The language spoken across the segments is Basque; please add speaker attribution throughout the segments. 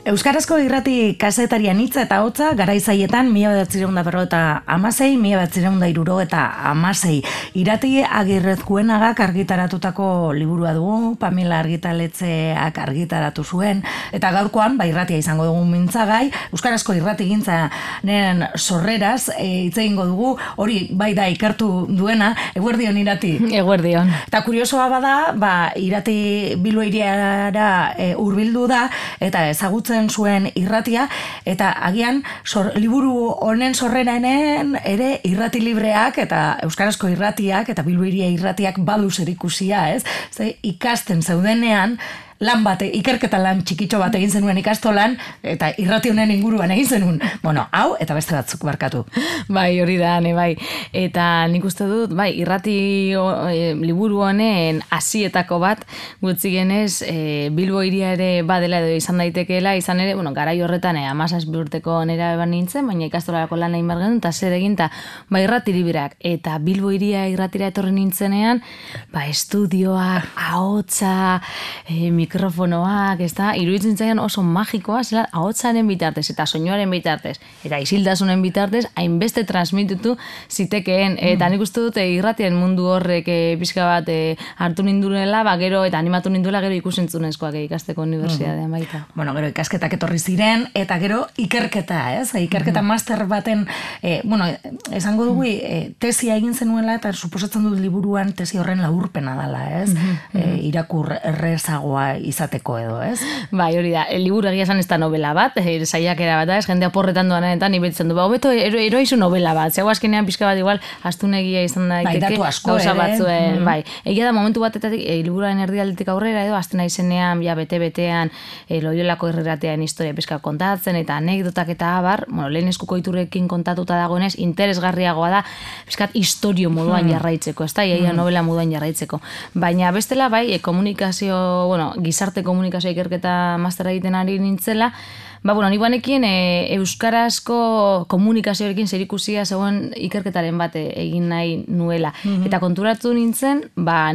Speaker 1: Euskarazko irrati kazetarian hitza eta hotza garaizaietan 1956, 1976. Irati Agirrezkuenagak argitaratutako liburua dugu, Pamela Argitaletxeak argitaratu zuen, eta gaurkoan, irratia izango dugu mintzagai, Euskarazko irratigintzanen sorreraz hitz egingo dugu, hori bai da ikertu duena, eguerdion Irati.
Speaker 2: Eguerdion.
Speaker 1: Eta kuriosoa bada, Irati Bilbo hiriara hurbildu da, eta ezagutzen zuen irratia, eta agian liburu honen sorreranen ere irrati libreak eta euskarazko irratiak eta Bilbo hiria irratiak badu zerikusia, ez? Ze ikasten zeudenean ikerketa lan txikitxo bat egin zenuen ikastolan, eta irrati honen inguruan egin zenuen. Bueno, hau, eta beste batzuk barkatu.
Speaker 2: Bai, hori da, bai. Eta nik uste dut, irrati liburu honen hasietako bat, gutxi genez, Bilbo hiria ere badela edo izan daitekeela, izan ere, garai horretan 17 urteko nera eban nintzen, baina ikastolarako lan egin behar genuen, eta zer egin, eta irrati libreak, eta Bilbo hiria irratira etorri nintzenean, estudioak, ahotsa, mikrofonoak, iruditzen zaian oso magikoa, zela ahotsaren bitartez eta soinuaren bitartez, eta isildasunen bitartez, hainbeste transmititu zitekeen, eta nik uste dute irratien mundu horrek pixka bat hartu ninduela, gero, eta animatu ninduela gero ikusentzunezkoak ikasteko unibertsitatean baita.
Speaker 1: Bueno, gero ikasketak etorri ziren, eta gero ikerketa, ez? Ikerketa master baten, esango dugu, tesia egin zenuela, eta suposatzen dut liburuan tesi horren laburpena dela, ez? Irakur errezagoa izateko edo, ez?
Speaker 2: Bai, hori da, liburu egia esan ez da novela bat, saiakera bat da, ez jende aporretan doanetan ibetzen du, hobeto eroizu novela bat, zegoa azkenean pixka bat igual astunegia izan daiteke.
Speaker 1: Datu asko
Speaker 2: gauza
Speaker 1: ere.
Speaker 2: Batzuen, egia da momentu batetik liburuaren erdialdetik aurrera edo, azten izenean, bete-betean, Loiolako irratean historia pixka kontatzen, eta anekdotak eta abar, lehen eskuko iturrekin kontatuta dagoenez, interesgarriagoa da, pixkat historio moduan jarraitzeko, ez da, novela moduan jarraitzeko. Baina bestela, komunikazio, gizarte komunikazio ikerketa mastera egiten ari nintzela, ni banekin euskarazko komunikazioarekin zerikusia zegoen ikerketaren bat egin nahi nuela. Eta konturatu nintzen,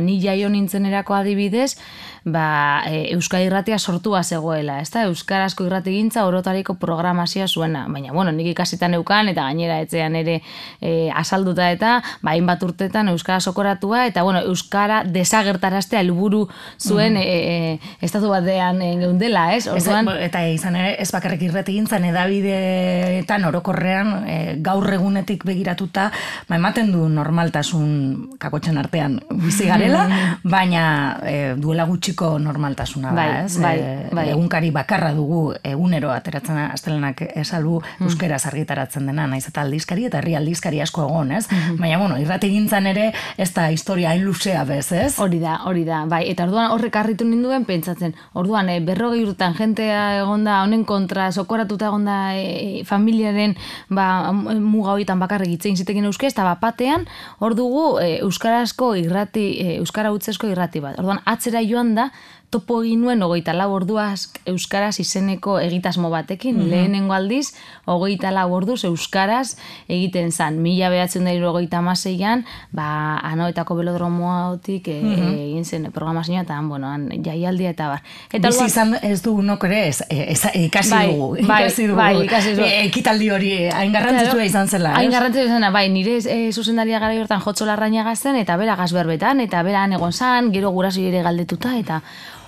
Speaker 2: ni jaio nintzen erako adibidez, Euskal Irratia sortua zegoela, ez da? Euskarazko irratigintza orotariko programazioa zuena. Baina, nik ikasitan neukan, eta gainera etxean ere azalduta eta, hainbat urtetan Euskara sokoratua, eta, Euskara desagertaraztea helburu zuen estatu batean geundela, ez?
Speaker 1: Eta izan ere, ez bakarrik irratigintzan edabideetan orokorrean gaur egunetik begiratuta, ematen du normaltasun kakotxen artean bizi garela, baina duela gutxiko normaltasuna da, ez? Egunkari bakarra dugu egunero ateratzen astelenak esalbu euskeraz argitaratzen dena, naiz eta aldizkari eta herri aldizkari asko egon, ez? Baina, irratigintzan ere ez da historia hain luzea bez, ez?
Speaker 2: Hori da, eta orduan horrek harritu ninduen pentsatzen, orduan 40 urtetan jentea egonda honen kontra sokoratuta egonda familiaren muga horietan bakarrik hitz egin zitekin euskez, eta batean hor dugu euskarazko irrati, euskara hutsesko irrati bat. Orduan atzera joan da, topo egin nuen 24 orduaz euskaraz izeneko egitasmo batekin, lehenengo aldiz 24 orduz euskaraz egiten zan, 1976an, Anoetako belodromoatik egin zen programazioa, eta jaialdia eta bar.
Speaker 1: Bizi izan ez dugunok ere, ikasi dugu. Ekitaldi hori hain garrantzitsua izan zela.
Speaker 2: Hain garrantzitsua izan, nire zuzendaria gara hortan Jotxo Larrañaga zen, eta bera gazberbetan, eta bera egon zan, gero guraso ere galdetuta, eta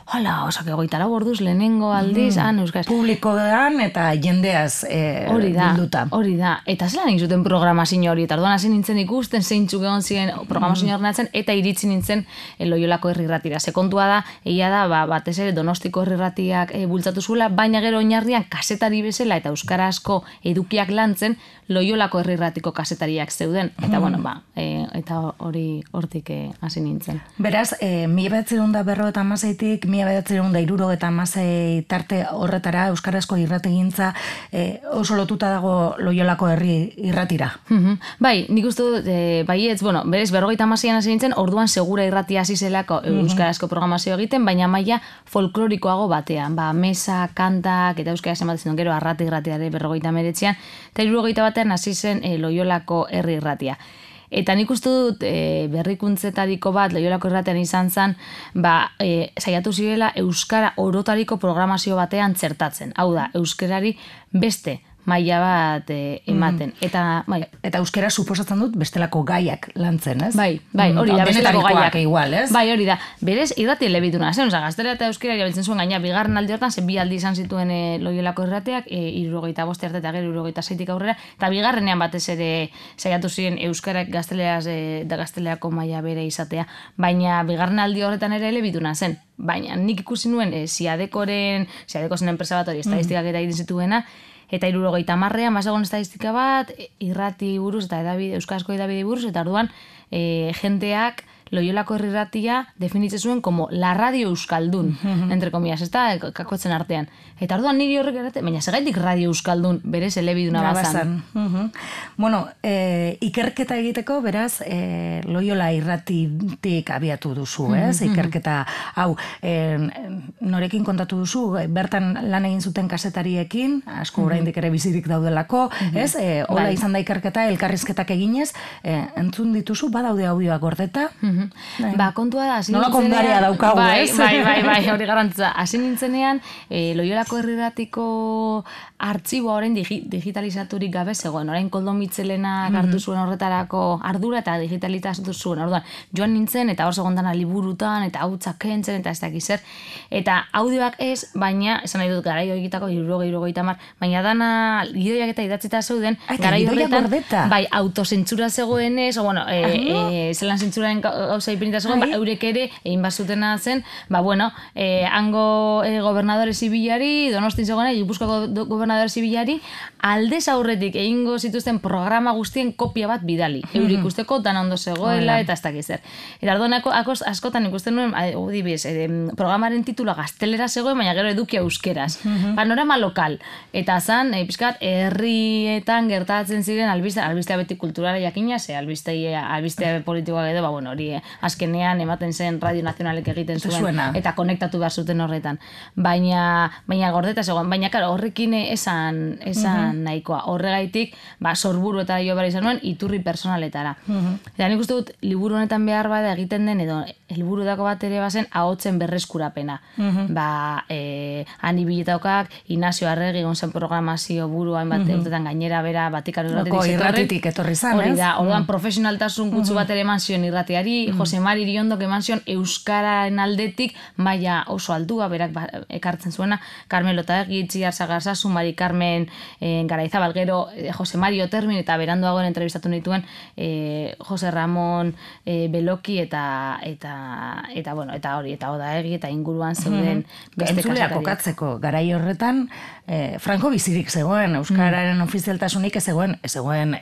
Speaker 2: hala, osak 24 orduz lehenengo aldiz, euskaraz.
Speaker 1: Publikoan eta jendeaz bilduta.
Speaker 2: Hori da. Eta zelan egin zuten programazio hori, eta orduan hasi nintzen ikusten zeintzuk egon ziren programazio horrenatzen, eta iritsi nintzen Loiolako herri irratira. Sekontua da, egia da, batez ere Donostiko herri irratiak bultzatu zuela, baina gero oinarrian kasetari bezala eta euskarazko edukiak lantzen Loiolako herri irratiko kasetariak zeuden. Eta eta hori hortik hasi nintzen.
Speaker 1: Beraz, 1956-tik 1976 tarte horretara euskarazko irratigintza oso lotuta dago Loiolako herri irratira.
Speaker 2: Nik uste dut, berez 56an hasi nintzen, orduan segura irratia hasi zelako euskarazko programazio egiten, baina maila folklorikoago batean, mesa, kantak, eta euskaraz ematen duen gero arrati irratiare 59an, eta 61 batean hasi zen Loiolako herri irratia. Eta nik uste dut berrikuntzetariko bat Loiolako Irratian izan zen, saiatu zirela euskara orotariko programazio batean txertatzen. Hau da, euskarari beste maila bat ematen.
Speaker 1: Eta euskera suposatzen dut bestelako gaiak lantzen, ez?
Speaker 2: Bai, hori da, bestelako gaiak.
Speaker 1: Igual, ez?
Speaker 2: Bai, hori da. Berez, irrati elebiduna zen, gaztelera eta euskera erabiltzen zuen gaina, bigarren aldi hortan, bi aldi izan zituen Loiolako Irratiak, 75 arte eta gero 76tik aurrera, eta bigarrenean batez ere saiatu ziren euskarak gaztelerako maila bere izatea, baina bigarren aldi horretan ere elebiduna zen. Baina nik ikusi nuen Siadeko zen enpresa bat hori estadistikak eta egin zituena, eta 70ean bazegoen estadistika bat, irrati buruz eta euskarazko edabide buruz, eta orduan jenteak Loiolako Irratia definitzen zuen como la radio euskaldun, entre comillas, ez da, kakotzen artean. Eta orduan niri horrek erate, baina segaitik radio euskaldun berez elebiduna bazan.
Speaker 1: Bueno, ikerketa egiteko, beraz, Loiola Irratitik abiatu duzu, ez? Ikerketa, hau, norekin kontatu duzu, bertan lan egin zuten kasetariekin, asko oraindik ere bizirik daudelako, ez? Hola izan da ikerketa, elkarrizketak eginez, entzun dituzu, badaude audioak gordeta,
Speaker 2: kontua da,
Speaker 1: nolako ondaria daukagu, ez?
Speaker 2: Bai, hori garantza. Hasi nintzenean, Loiolako Irratiko artxiboa orain digitalizaturik gabe zegoen. Orain Koldo Mitxelenak hartu zuen horretarako ardura eta digitalizatu zuen. Orduan, joan nintzen eta hor segondana liburutan eta hautsak kentzen eta ez dakiz zer. Eta audioak ez, baina, esan nahi dut garai horietako 70, baina dana gidoiak eta idatzita zeuden, garai horretan, bai, autozentzura zegoenez, zelan zentzuraren gauza ipinita zegoen, eurek ere, egin bazutena zen, hango gobernadore zibilari, Donostin zegoena, Gipuzkoako gobernadore zibilari, aldez aurretik egingo zituzten programa guztien kopia bat bidali. Eurik usteko dana ondo zegoela eta ez dakiz zer. Eta orduan askotan ikusten nuen, programaren titula gaztelera zegoen, baina gero edukia euskeraz. Panorama lokal. Eta zan, pizkat, herrietan gertatzen ziren albistea beti kulturala jakina, albistea politikoa edo, hori azkenean ematen zen Radio Nazionalek egiten zuen eta konektatu behar zuten horretan. Baina gordeta zegoen, baina horrekin esan nahikoa. Horregaitik, sorburu eta jo behar izan nuen, iturri personaletara. Eta nik uste dut, liburu honetan behar bada egiten den, edo helburu dako bat ere bazen, ahotsen berreskurapena. Hani biletaukak, Inazio Arregi gonzen programazio buru hainbat urtetan gainera bera Vatikano
Speaker 1: irratitik etorri zan, ez?
Speaker 2: Hori da, orduan profesionaltasun gutxu bat ere eman zion irratiari, Jose Mari Iriondok eman zion euskararen aldetik maila oso aldua, berak ekartzen zuena, Carmelo Taegi, Itziar Sagarzazu, Mari Carmen Garaizabal, gero Jose Mari Otermin, eta beranduagoen entrevistatu nituen Jose Ramon Beloki eta hori, eta Odaegi, eta inguruan zeuden beste
Speaker 1: kasetaria. Kokatzeko, garai horretan, Franco bizirik zegoen, euskararen ofizialtasunik ez zegoen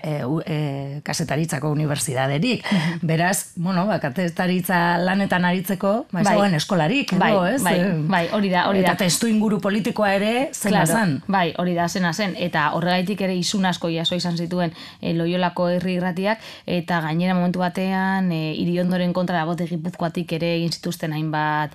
Speaker 1: kasetaritzako unibertsitaterik. Beraz, kasetaritza lanetan aritzeko, zegoen eskolarik, edo, ez?
Speaker 2: Bai, hori da.
Speaker 1: Eta testu inguru politikoa ere zena zen.
Speaker 2: Bai, hori da, zena zen. Eta horregaitik ere isun asko jaso izan zituen Loiolako Herri Irratiak, eta gainera momentu batean Iriondoren kontra dagote Gipuzkoatik ere egin zituzten hainbat,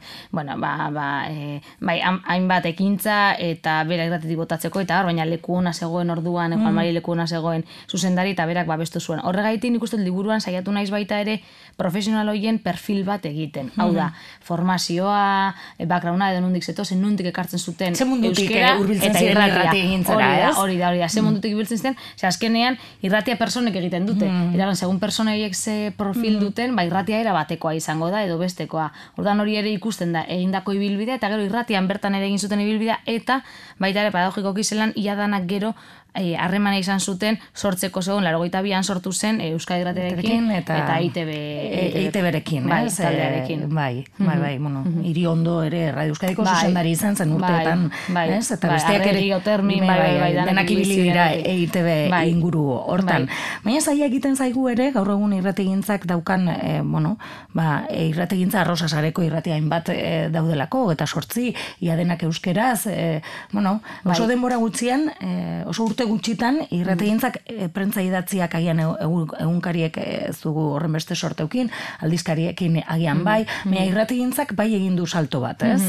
Speaker 2: hainbat ekintza eta bera irratitik botatzeko, eta baina leku ona zegoen orduan, Juan Mari leku ona zegoen zuzendari, eta berak babestu zuen. Horregaitik nik uste liburuan saiatu naiz baita ere profesional horien perfil bat egiten. Hau da, formazioa, backgrounda edo nondik zetozen, nondik ekartzen zuten euskera eta irratia. Hori da, ze mundutik ibiltzen zuten, azkenean irratia personek egiten dute. Iragan, segun persona horiek ze profil duten, irratia era batekoa izango da edo bestekoa. Ordan hori ere ikusten da, egindako ibilbidea, eta gero irratian bertan ere egin zuten ibilbidea, eta baita ere pedagogikoki zelan iadanak gero harremana izan zuten sortzeko zegoen, 82an sortu zen Euskadi Irratiarekin eta
Speaker 1: EITB-rekin,
Speaker 2: taldearekin.
Speaker 1: Bai, Iriondo ere Radio Euskadiko zuzendari izan zen urteetan, eta besteak ere denak ibili dira EITB inguru hortan. Baina zaila egiten zaigu ere, gaur egun irrategintzak daukan, irrategintza arrosa sareko irratia hainbat daudelako, eta sortzi, ia denak euskeraz, oso denbora gutxian, oso urte urte gutxitan, irrategintzak prentza idatziak agian egunkariek ez dugu horren beste sorteukin, aldizkariekin agian bai, baina irrategintzak bai egin du salto bat, ez?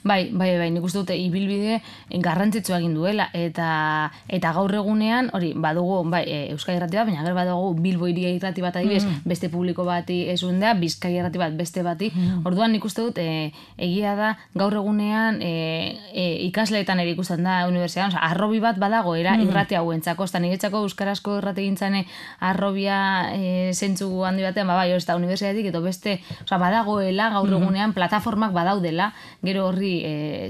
Speaker 2: Bai, nik uste dute ibilbide garrantzitsua egin duela, eta gaur egunean, hori, badugu, bai, Euskadi irrati bat, baina gero badugu Bilbo Hiria irrati bat adibidez, beste publiko bati esundea, Bizkaia irrati bat beste bati, orduan nik uste dut, egia da, gaur egunean ikasleetan ere ikusten da unibertsitatean, arrobi bat badagoera irrati hauentzako, eta niretzako euskarazko irrategintzan arrobia zentzu handi batean, bai, hori eta unibertsitatetik, edo beste, badagoela gaur egunean plataformak badaudela, gero horri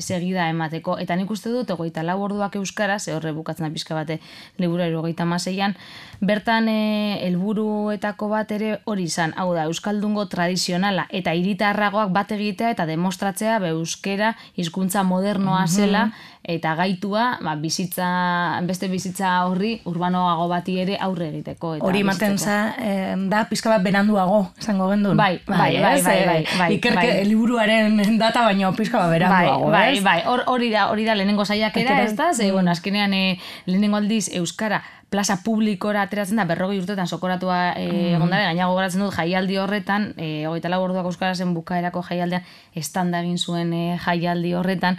Speaker 2: segida emateko, eta nik uste dut, 24 orduak euskaraz, horre bukatzen da pixka bate liburu 76an, bertan helburuetako bat ere hori izan, hau da, euskaldungo tradizionala eta hiritarragoak bat egitea eta demostratzea euskera hizkuntza modernoa zela eta gaitua beste bizitza horri urbanoago bati ere aurre egiteko.
Speaker 1: Hori ematen da pizka bat beranduago, esango gendun.
Speaker 2: Bai.
Speaker 1: Ikerke liburuaren data baino pizka bat beranduago, ez?
Speaker 2: Bai, hori da lehenengo saiakera, ez da? Azkenean lehenengo aldiz euskara plaza publikora ateratzen da 40 urtetan sokoratua egondare, gaina gogoratzen dut jaialdi horretan, 24 orduak euskarazen bukaerako jaialdean estanda egin zuen jaialdi horretan,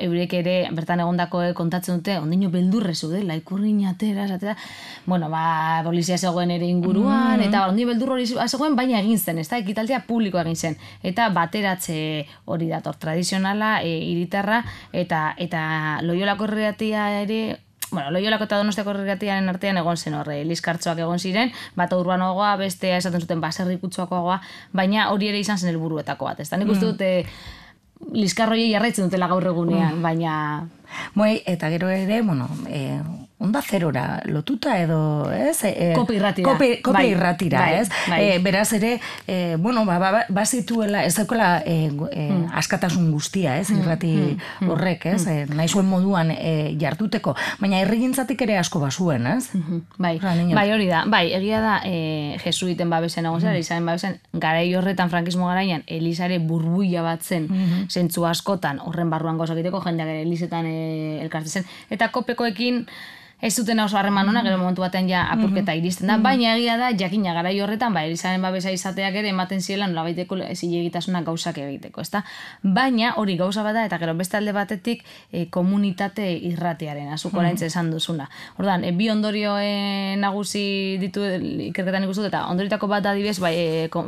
Speaker 2: eurek ere bertan egondako kontatzen dute, ondino beldurre zeudela, ikurrin atera, polizia zegoen ere inguruan, eta ondino beldur hori zegoen, baina egin zen, ez da, ekitaldia publikoa egin zen, eta bateratze hori dator, tradizionala, hiritarra, eta Loiolako irratia ere, Loiolako eta Donostiako irratiaren artean egon zen horre, liskartzoak egon ziren, bat urbanoagoa, bestea esaten zuten baserrikutsuakoagoa, baina hori ere izan zen helburuetako bat. Ez da, nik uste dute liskarroiei jarraitzen dutela gaur egunean, baina...
Speaker 1: Eta gero ere, Onda Zerora lotuta edo, ez?
Speaker 2: Kope irratira.
Speaker 1: Kope irratira, ez? Beraz ere, bazituela, ez daukela askatasun guztia, ez? Irrati horrek, ez? Nahi zuen moduan jartuteko. Baina herrigintzatik ere asko bazuen, ez?
Speaker 2: Bai, hori da. Bai, egia da, jesuiten babesen egon zera, Elizaren babesen, garai horretan, frankismo garaian, Elizare burbuila bat zen, zentzu askotan, horren barruan gauzak egiteko, jendeak ere Elizetan elkartzen zen. Eta kopekoekin, ez zuten oso harreman ona, gero momentu batean ja apurketa iristen da, baina egia da, jakina garai horretan, Elizaren babesa izateak ere ematen ziela nolabaiteko zilegitasunak gauzak egiteko, ezta? Baina hori gauza bada, eta gero beste alde batetik komunitate irratiaren, azuko oraintze esan duzuna. Orduan, bi ondorio nagusi ditu ikerketan ikustu, eta ondoritako bat adibidez,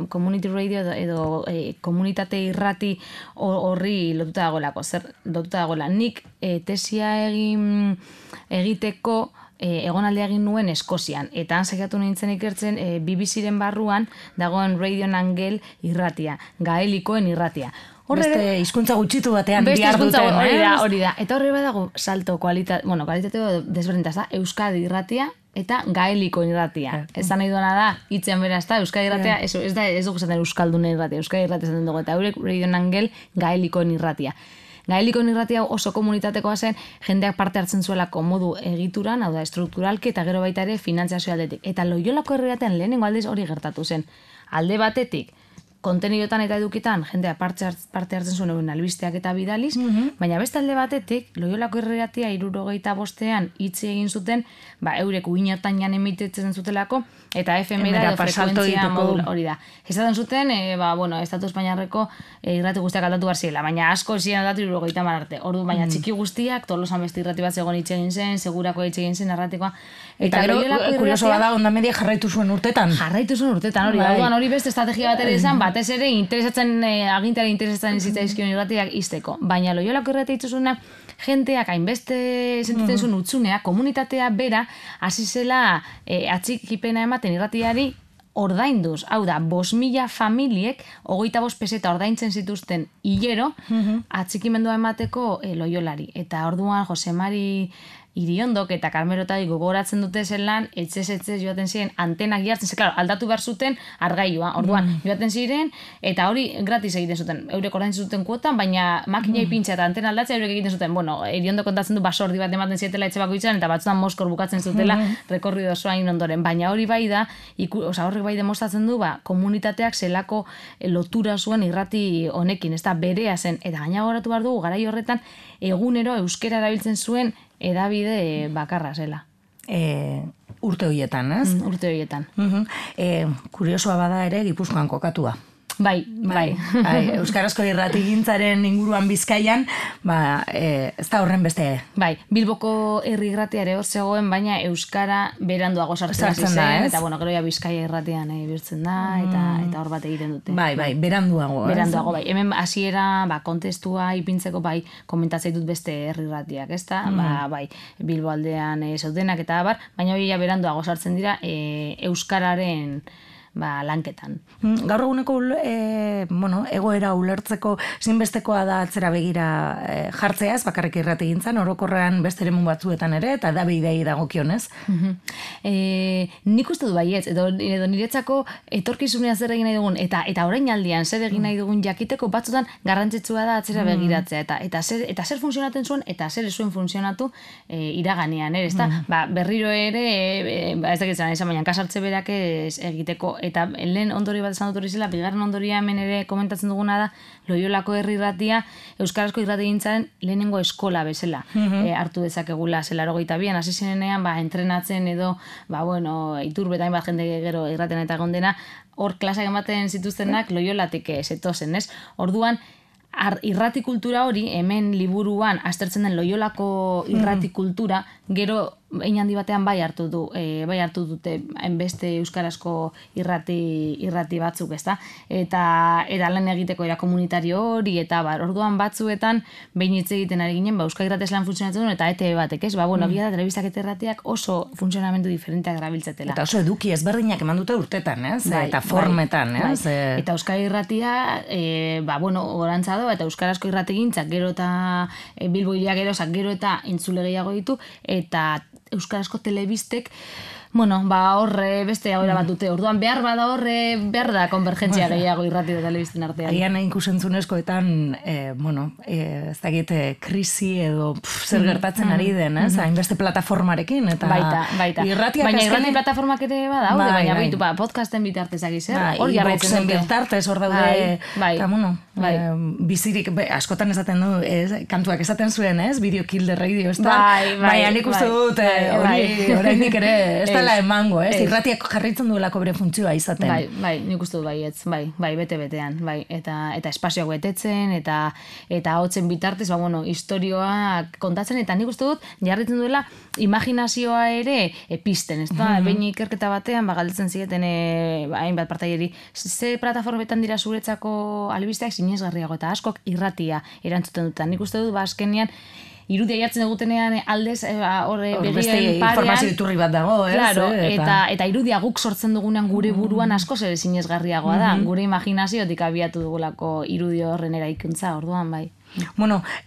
Speaker 2: community radio edo komunitate irrati horri lotuta dagoela. Nik tesia egiteko egonaldia egin nuen Eskozian, eta han saiatu nintzen ikertzen BBC-ren barruan dagoen Radio Angel irratia, gaelikoen irratia.
Speaker 1: Beste hizkuntza gutxitu batean bihar duten.
Speaker 2: Hori da. Eta horre badago salto kualitateo desberdinta, da, Euskadi irratia eta gaelikoen irratia. Ez da nahi duena da, hitzean bera, ez da, Euskadi irratia, ez dugu zaten Euskaldunen irratia, Euskadi irratia zaten dugu, eta eurek Radio Angel gaelikoen irratia. Gaelikoen irratia oso komunitatekoa zen, jendeak parte hartzen zuelako modu egituran, hau da, estrukturalki, eta gero baita ere finantzazio aldetik. Eta Loiolako irratian lehenengo aldiz hori gertatu zen. Alde batetik, kontenidotan eta edukitan, jendea parte hartzen zuen euren albisteak eta bidaliz, baina beste alde batetik, Loiolako irratia 75ean hitz egin zuten, eurek uinertan jan emitetzen zutelako, eta FM-era edo frekuentzia modul hori da. Ezaten zuten, Estatu Espainiarreko irrati guztiak aldatu behar ziela, baina asko ziren aldatu 70 arte. Ordu, baina txiki guztiak, Tolosan beste irrati bat zegoen hitz egin zen, Segurako hitz egin zen narratikoa.
Speaker 1: Eta gero, kurioso bada, Onda Media jarraitu zuen urtetan.
Speaker 2: Hori beste estrategia bat ere izan, batez ere agintari interesatzen zitzaizkion irratiak izteko. Baina Loiolako irratia itzuzuna, jenteak hainbeste sentitzen zuen utzuneak, komunitatea bera, hasi zela atxikipena ematen irratiari ordainduz. Hau da, 5.000 familiek 25 peseta ordaintzen zituzten hilero atxikimendua emateko Loiolari. Eta orduan Josemari Iriondok eta Karmerotari gogoratzen dute zelan, etxez joaten ziren antenak jartzen, klaro, aldatu behar zuten argailua. Orduan, joaten ziren, eta hori gratis egiten zuten. Eurek ordaintzen zuten kuotan, baina makina ipintza eta antena aldatzea eurek egiten zuten. Iriondok kontatzen du basordi bat ematen zietela etxe bakoitzan, eta batzutan Moskor bukatzen zutela rekorrido osoa ondoren. Baina hori bai da, horrek bai demostratzen du, komunitateak zelako lotura zuen irrati honekin, ez da berea zen. Eta gaina goratu behar dugu, garai horretan, egunero euskera erabiltzen zuen edabide bakarra zela.
Speaker 1: Urte horietan, ez?
Speaker 2: Urte horietan.
Speaker 1: Kuriosoa bada ere Gipuzkoan kokatua.
Speaker 2: Bai.
Speaker 1: Euskarazko irratigintzaren inguruan Bizkaian, ez da horren beste.
Speaker 2: Bai, Bilboko herri irratia ere hor zegoen, baina euskara beranduago sartzen da, ez? Eta gero ja Bizkaia irratian birtzen da, eta hor bat egiten dute.
Speaker 1: Bai, beranduago.
Speaker 2: Beranduago, bai. Hemen hasiera, kontestua ipintzeko, komentatzen dut beste herri irratiak, ez da? Bai, Bilbo aldean zeudenak eta abar, baina hori ja beranduago sartzen dira euskararen lanketan.
Speaker 1: Gaur eguneko egoera ulertzeko zinbestekoa da atzera begira jartzeaz, bakarrik irratigintzan, orokorrean beste eremu batzuetan ere, eta da bidei dagokionez.
Speaker 2: Nik uste du baietz, edo niretzako etorkizunean zer egin nahi dugun, eta orainaldian zer egin nahi dugun jakiteko batzutan garrantzitsua da atzera begiratzea, eta zer funtzionatzen zuen, eta zer zuen funtzionatu iraganean, ez da? Berriro ere, ez dakitzen, baina kasartze berak egiteko, eta lehen ondorio bat esan dut hori zela, bigarren ondoria hemen ere komentatzen duguna da, Loiolako herri irratia euskarazko irratigintzaren lehenengo eskola bezala hartu dezakegula, 82an hasi zinenean entrenatzen edo, Iturbetain bat jende gero irraten eta gondena, hor klasak ematen zituztenak Loiolatik zetozen, ez? Orduan, irratikultura hori, hemen liburuan aztertzen den Loiolako irratikultura, gero hein handi batean bai hartu dute beste euskarazko irrati batzuk, ezta? Eta lan egiteko era komunitario hori, eta orduan batzuetan behin hitz egiten ari ginen, Euskal Irrates lan funtzionatzen duen, eta ETV batek, ez? Egia da, telebistak eta irratiak oso funtzionamendu diferenteak erabiltzetela.
Speaker 1: Eta oso eduki ezberdinak eman dute urtetan, ez? Eta formetan, ez?
Speaker 2: Eta Euskal Irratia, gorantza do, eta euskarazko irratigintzak gero eta Bilbo hiria gerozak gero eta entzule gehiago ditu, eta euskarazko telebistek horre beste aurra bat dute. Orduan behar da konvergentzia gehiago irrati da telebisten artean.
Speaker 1: Agian ikusentzunezkoetan, ez dakit krisi edo zer gertatzen ari den, ez? Hainbeste plataformarekin.
Speaker 2: Baita. Baina irrati plataformak ere badaude, baina podcasten bitartez zer? Hor jarraitzen dute.
Speaker 1: Bitartez hor daude. Eta, bizirik, askotan esaten du, kantuak esaten zuen, ez? Video Kill the Radio, ez da? Baina nik uste dut, oraindik ere, ez dela emango, ez? Irratiak jarritzen duelako bere funtzioa izaten.
Speaker 2: Bai, nik uste dut baietz, bete-betean, eta espazioak betetzen, eta hotzen bitartez, istorioak kontatzen, eta nik uste dut, jarritzen duela imaginazioa ere pizten, ez da? Behin ikerketa batean, galdetzen zigeten, hainbat partaieri, ze plataformetan dira zuretzako albisteak sinesgarriago, eta askok irratia erantzuten dut. Nik uste dut, azkenean, irudia jartzen egutenean aldez begien parean.
Speaker 1: Informazio iturri bat dago, ez?
Speaker 2: Claro, eta irudia guk sortzen dugunean gure buruan askoz ere sinesgarriagoa da. Gure imaginaziotik abiatu dugulako irudio horren eraikuntza, orduan bai.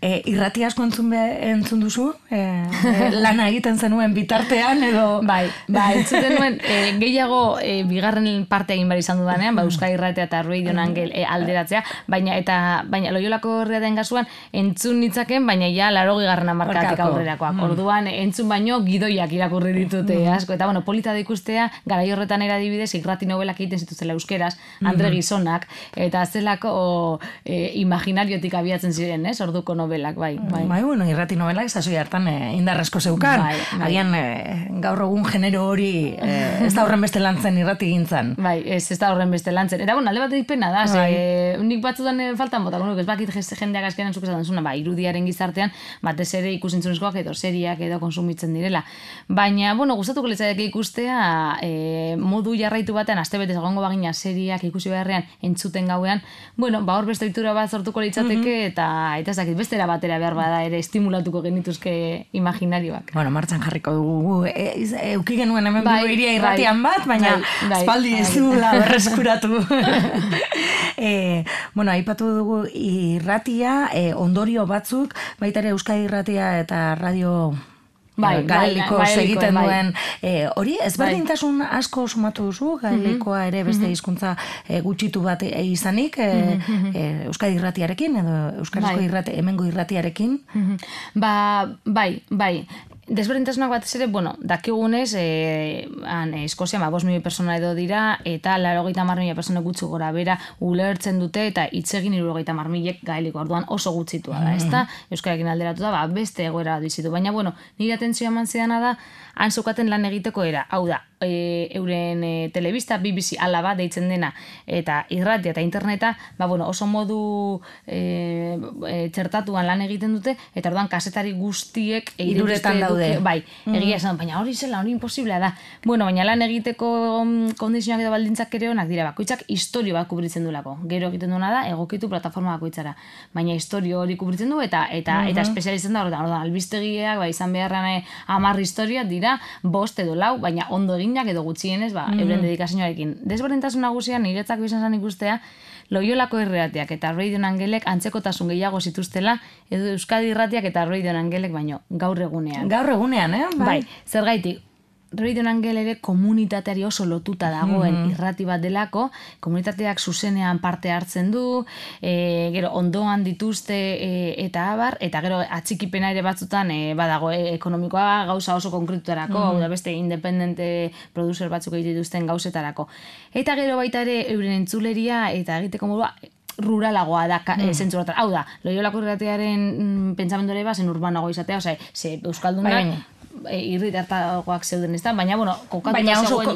Speaker 1: Irrati asko entzun duzu? Lana egiten zenuen bitartean edo?
Speaker 2: Bai, entzuten nuen gehiago bigarren partea egin behar izan dudanean, Euskal Irratia eta Radio Angel alderatzea, baina Loiolako herriaten kasuan entzun nitzaken, baina ja 80. hamarkadatik aurrerakoak. Orduan entzun baino gidoiak irakurri ditute asko, eta polita da ikustea, garai horretan adibidez irrati nobelak egiten zituztela euskeraz, Andre Gizonak, eta zelako imaginariotik abiatzen ziren, orduko nobelak, bai.
Speaker 1: Irrati nobelak sasoi hartan indarrezko zeukan. Agian gaur egun genero hori ez da horren beste lantzen irrati gintzan.
Speaker 2: Bai, ez da horren beste lantzen. Eta alde bat pena da, nik batzutan faltan bota, ez bakit jendeak azkenan zuk esaten zuna, irudiaren gizartean, batez ere ikusentzunezkoak edo seriak edo konsumitzen direla. Baina, gustatuko litzaieke ikustea, modu jarraitu batean, astebetez egongo bagina seriak ikusi beharrean entzuten gauean, hor beste ohitura bat sortuko litzateke, eta ez dakit bestera batera behar bada ere estimulatuko genituzke imaginarioak.
Speaker 1: Martxan jarriko dugu. Euki genuen hemen Bilbo hiria irratian bat, baina espaldi ez dugula berreskuratu. Aipatu dugu irratia, ondorio batzuk, baita ere Euskal Irratia eta Radio gaelikoz egiten duen. Hori, ezberdintasun asko sumatu duzu, gaelikoa ere beste hizkuntza gutxitu bat izanik, Euskal Irratiarekin, edo Euskarazko hemengo irratiarekin?
Speaker 2: Bai. desberdintasunak batez ere, bueno, dakigunez, Eskozian 5 milioi persona edo dira, eta 80.000 persona gutxi gora bera ulertzen dute, eta hitz egin 70.000 gaeliko, orduan oso gutxitua da, ezta? Euskararekin alderatu da, beste egoera dizitu. Baina, bueno, nire atentzioa eman zidana da, han zeukaten lan egiteko era, hau da, euren telebista, BBC alaba deitzen dena, eta irratia eta interneta, oso modu txertatuan lan egiten dute, eta orduan kasetari guztiek
Speaker 1: hiruretan daude.
Speaker 2: Bai, egia esan, baina hori zela, hori imposiblea da. Bueno, baina lan egiteko kondizionak edo baldintzak ere honak dira, bakoitzak istorio bat kubritzen duelako. Gero egiten duena da, egokitu plataforma bakoitzara. Baina istorio hori kubritzen du, eta espezializten da, orduan, albistegiak, izan beharran 10 historia dira, 5 edo 4, baina ondo eginak edo gutxienez, euren dedikazioarekin. Desberdintasun nagusia niretzako izan zen ikustea, Loiolako irratiak eta Radio Angelek antzekotasun gehiago zituztela, edo Euskadi irratiak eta Radio Angelek baino gaur egunean.
Speaker 1: Gaur egunean,
Speaker 2: Bai, zergaitik, Radio Angel ere komunitateari oso lotuta dagoen irrati bat delako, komunitateak zuzenean parte hartzen du, gero ondoan dituzte eta abar, eta gero atxikipena ere batzutan badago ekonomikoa gauza oso konkretutarako, hau da beste independente producer batzuk egiten dituzten gauzetarako. Eta gero baita ere euren entzuleria eta egiteko modua ruralagoa da zentzu horretan. Hau da, Loiolako irratiaren pentsamendu ere zen urbanago izatea, ze Euskaldunak irritartagoak zeuden, ez da? Baina,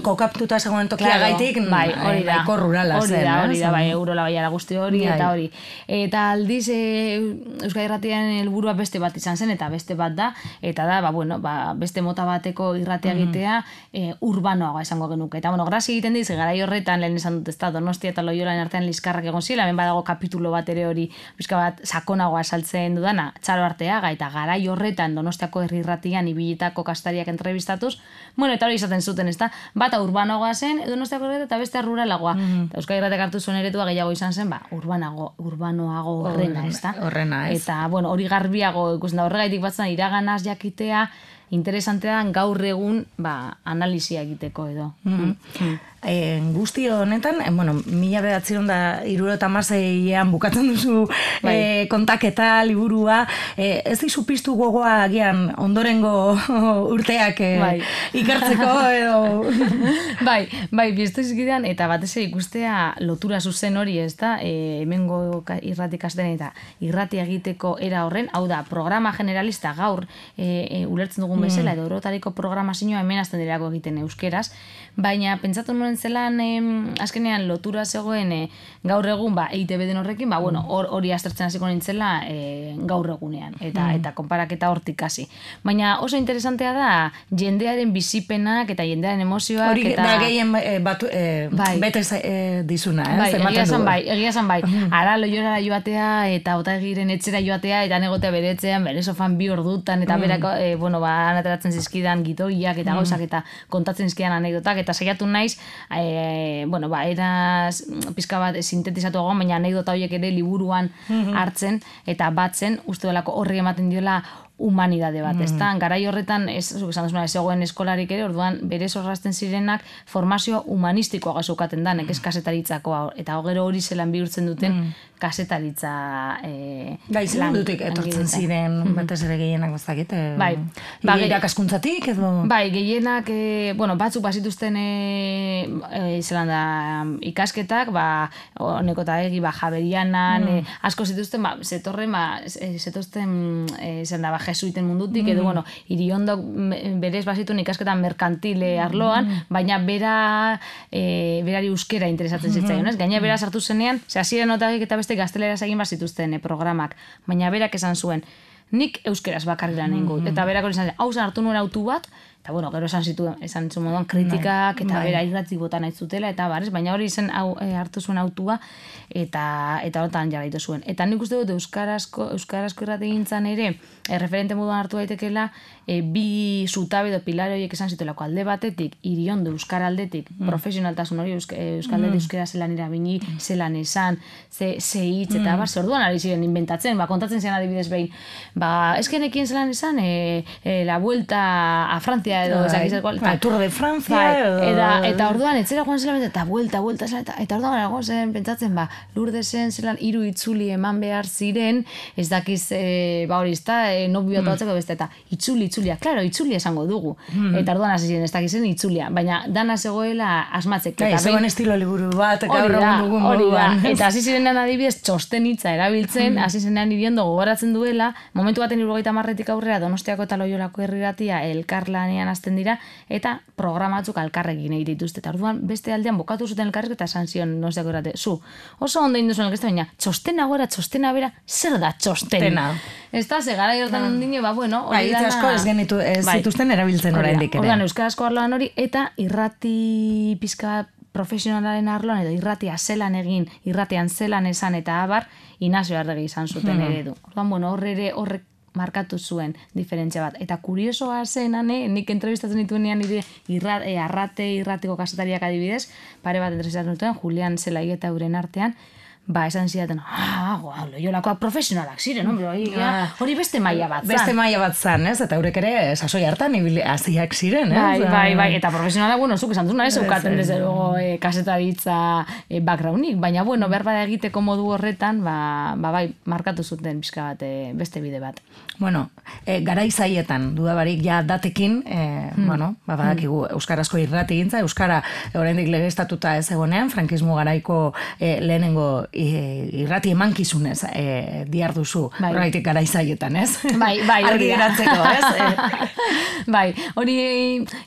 Speaker 1: kokaptuta zegoen tokia gaitik, nahiko rurala zen.
Speaker 2: Hori da, Eurola baiara guzti hori, eta hori. Eta aldiz, Euskal Irratian helburua beste bat izan zen, eta beste bat da, eta da, beste mota bateko irratia egitea urbanoagoa esango genuke. Eta, grazi egiten diz, garai horretan, lehen esan dut, ez da, Donostia eta Loiolan artean liskarrak egon zila, hemen badago kapitulo bat ere hori, bizka bat, sakonagoa esaltzen dudana, Txalo Arteaga, eta garai horretan Donostiako herri irratian ibilitako kastariak entrevistatuz, eta hori izaten zuten, ez da, bata urbanoagoa zen, Donostiako herri eta beste ruralagoa. Euskal Irratiak hartu zuen eretua gehiago izan zen, urbanoago horrena, ez da?
Speaker 1: Horrena, ez.
Speaker 2: Eta, hori garbiago ikusten da, horregaitik batzen iraganaz jakitea, interesantea gaur egun analisia egiteko edo.
Speaker 1: Guzti honetan, 1976an bukatzen duzu kontaketa, liburua, ez dizu piztu gogoa agian ondorengo urteak ikertzeko edo...
Speaker 2: Bai, piztu izkidean, eta batez ikustea lotura zuzen hori, ez da, hemengo irrati kasten eta irrati egiteko era horren, hau da, programa generalista gaur ulertzen dugun bezala, edo eurotariko programazioa hemen azten dirako egiten euskeraz, baina pentsatu nuen zelan azkenean lotura zegoen gaur egun EITB den horrekin, hori aztertzen hasiko nintzela gaur egunean, eta konparaketa hortik hasi. Baina oso interesantea da jendearen bizipenak eta jendearen emozioak.
Speaker 1: Hori da gehien bete dizuna,
Speaker 2: egia esan bai. Ara Loiolara joatea eta Otaegiren etxera joatea eta negotea beretzean, bere sofan 2 ordutan eta berako, anateratzen zizkidan gitoiak eta gauzak eta kontatzen zizkidan anekdotak, eta saiatu naiz, eraz pizka bat sintetizatu egon, baina anekdota horiek ere liburuan hartzen eta batzen, uste delako horri ematen diola humanidade bat, ezta? Garai horretan, esan duzuna, ez egoen eskolarik ere, orduan, bere zorrazten zirenak formazio humanistikoa gazukaten da, nekez kasetaritzakoa, eta gero hori zelan bihurtzen duten kasetaritza
Speaker 1: zelan dutik etortzen ziren, batez ere gehienak bazakit, irakaskuntzatik edo?
Speaker 2: Bai, gehienak, batzuk bazituzten zelan da ikasketak, honeko eta egi, Javerianan, asko zituzten, zetozten, zelan da, jesuiten mundutik, edo, Iriondok berez bazituen ikasketan merkantile arloan, baina berari euskera interesatzen zitzaion, ez? Gaina bera sartu zenean, hasiera notarik eta beste gazteleraz egin bazituzten programak, baina berak esan zuen, nik euskeraz bakarri lan egin gut, eta berak hori izan zen, hau hartu nuen autu bat, eta gero esan zuen moduan kritikak, eta bera irratik bota nahi zutela, eta baina hori izan hartu zuen autua, eta horretan jarraitu zuen. Eta nik uste dut euskarazko irrati gintzan ere, referente moduan hartu daitekela, bi zutabe edo pilare horiek esan zituelako alde batetik, Iriondo euskara aldetik, profesionaltasun hori euskaldetik euskera zelan irabini, zelan esan, ze hitz, eta orduan ari ziren inventatzen, kontatzen ziren adibidez behin, eskenekien zelan esan, la vuelta a Francia, edo
Speaker 1: Tour de Francia,
Speaker 2: eta orduan etzera joan zela, eta vuelta, eta orduan erago zen pentsatzen, Lurdesen zelan 3 itzuli eman behar ziren, ez dakiz, hori izta, nobio eta batzeko beste, eta itzuli itzulia. Claro, itzulia esango dugu. Eta orduan hasi ziren ez dakizen itzulia, baina dana zegoela asmatzek.
Speaker 1: Gai, zegoen estilo liburu bat, gaur egun dugun moduan.
Speaker 2: Eta hasi zirenean adibidez txosten hitza erabiltzen, hasi zenean iriondo gogoratzen duela, momentu baten 70 aurrera Donostiako eta Loiolako herriratia elkarlanean hasten dira, eta programatzuk alkarrekin egin dituzte. Eta orduan beste aldean bokatu zuten elkarrek eta esan zion Donostiako errate, zu, oso ondo induzuen elkeste, baina txostena gora, txostena bera, zer da txostena? Ez da, zegara jortan ondine, bueno, hori dana...
Speaker 1: Asko ez zituzten erabiltzen oraindik ere.
Speaker 2: Orduan, euskarazko arloan hori, eta irrati pizka profesionalaren arloan, edo irratia zelan egin, irratian zelan esan eta abar, Inazio Arregi izan zuten eredu. Orduan, horrek markatu zuen diferentzia bat. Eta kuriosoa zen, nik entrevistatzen dituenean irratiko kasetariak adibidez, pare bat entrevistatzen duten, Julian Zelai eta euren artean, esan zidaten, Loiolakoak profesionalak ziren, hori beste maila bat zan.
Speaker 1: Beste maila bat zan, ez? Eta eurek ere sasoi hartan hasiak ziren, ez?
Speaker 2: Bai, eta profesionalak, zuk esan duzuna ez eukaten desde luego kasetaritza backgroundik, baina, behar bada egiteko modu horretan, bai, markatu zuten pixka bat, beste bide bat.
Speaker 1: Garaizaietan, dudabarik ja datekin, badakigu euskarazko irrati gintza, euskara oraindik legeztatuta ez egonean, frankismo garaiko lehenengo irrati emankizunez diarduzu, horregatik garaizaietan, ez?
Speaker 2: Bai,
Speaker 1: argi geratzeko, ez?
Speaker 2: Bai, hori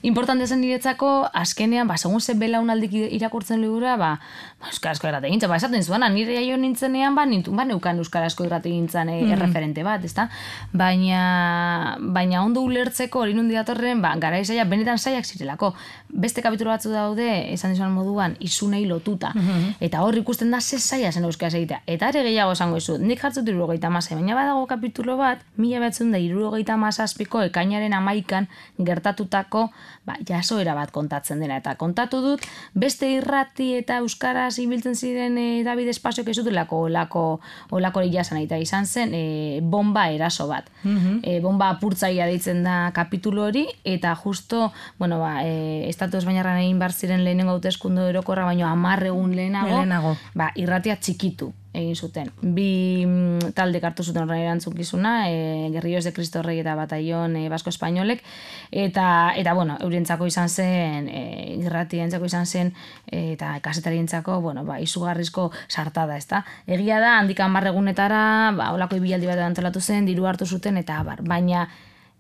Speaker 2: importante zen niretzako, azkenean, segun ze belaunaldik irakurtzen ligura, euskarazko irrati gintza, esaten zuena, nire jaio nintzenean, neukan euskarazko irrati gintzan erreferente bat, ezta? Baina ondo ulertzeko hori nundi datorren, garaizaia benetan zaiak zirelako. Beste kapitulo batzu daude, esan dizuan moduan, izunei lotuta. Eta hor ikusten da ze zaila zen euskaraz egitea. Eta ere gehiago esango izu, nik jartzut 76, baina badago kapitulo bat, 1977ko ekainaren 11 gertatutako jasoera bat kontatzen dena. Eta kontatu dut, beste irrati eta euskaraz ibiltzen ziren David Espaziok ez dutulako olako jasan eta izan zen bomba eraso bat. Bomba apurtzaia deitzen da kapitulo hori, eta justo, Estatu Espainiarran egin bar ziren lehenengo hauteskunde orokorra, baino 10 egun lehenago, irratia txikitu egin zuten. Bi talde hartu zuten horren erantzukizuna, Guerrillos de Cristo Rey eta Batallón Basko Espainolek, eta eurientzako izan zen, irratientzako izan zen, eta kasetarientzako, izugarrizko sartada, ezta? Egia da, handik 10 egunetara, holako ibilaldi bat antolatu zen, diru hartu zuten, eta baina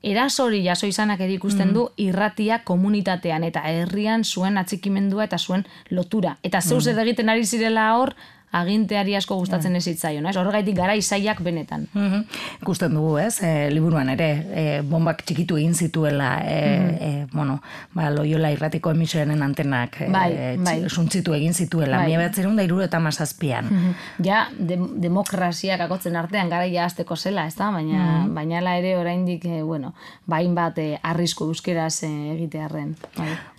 Speaker 2: erasori jaso izanak ere ikusten du irratia komunitatean eta herrian zuen atxikimendua eta zuen lotura. Eta zeus egiten ari zirela hor, aginteari asko gustatzen ez zitzaion, ez? Horregaitik garaizaiak benetan.
Speaker 1: Ikusten dugu, ez? Liburuan ere, bombak txikitu egin zituela, Loiola irratiko emisioaren antenak suntzitu egin zituela, 1977an.
Speaker 2: Ja, demokraziak akotzen artean garaia hasteko zela, ez da? Baina ere oraindik, hainbat arrisku euskeraz egitearren.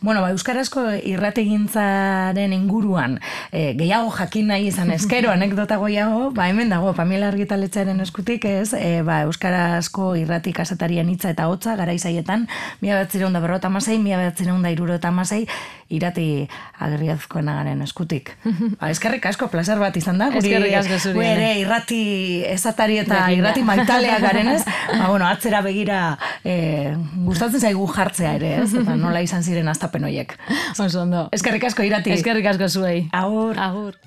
Speaker 1: Euskarazko irrategintzaren inguruan gehiago jakin nahi izan eskero anekdota goiago, hemen dago Pamela Argitaletxearen eskutik, ez, euskarazko irrati kasetarien hitza eta hotza garaizaietan 1956, 1976 irrati Agirrezkoenagaren eskutik. Eskerrik asko, plazer bat izan da.
Speaker 2: Eskerrik asko zuri.
Speaker 1: Ere irrati esatari eta irrati maitalea garenez, atzera begira gustatzen zaigu jartzea ere, ez? Eta nola izan ziren hastapen horiek.
Speaker 2: Oso ondo.
Speaker 1: Eskerrik asko irrati.
Speaker 2: Eskerrik asko zuei.
Speaker 1: Agur.
Speaker 2: Agur.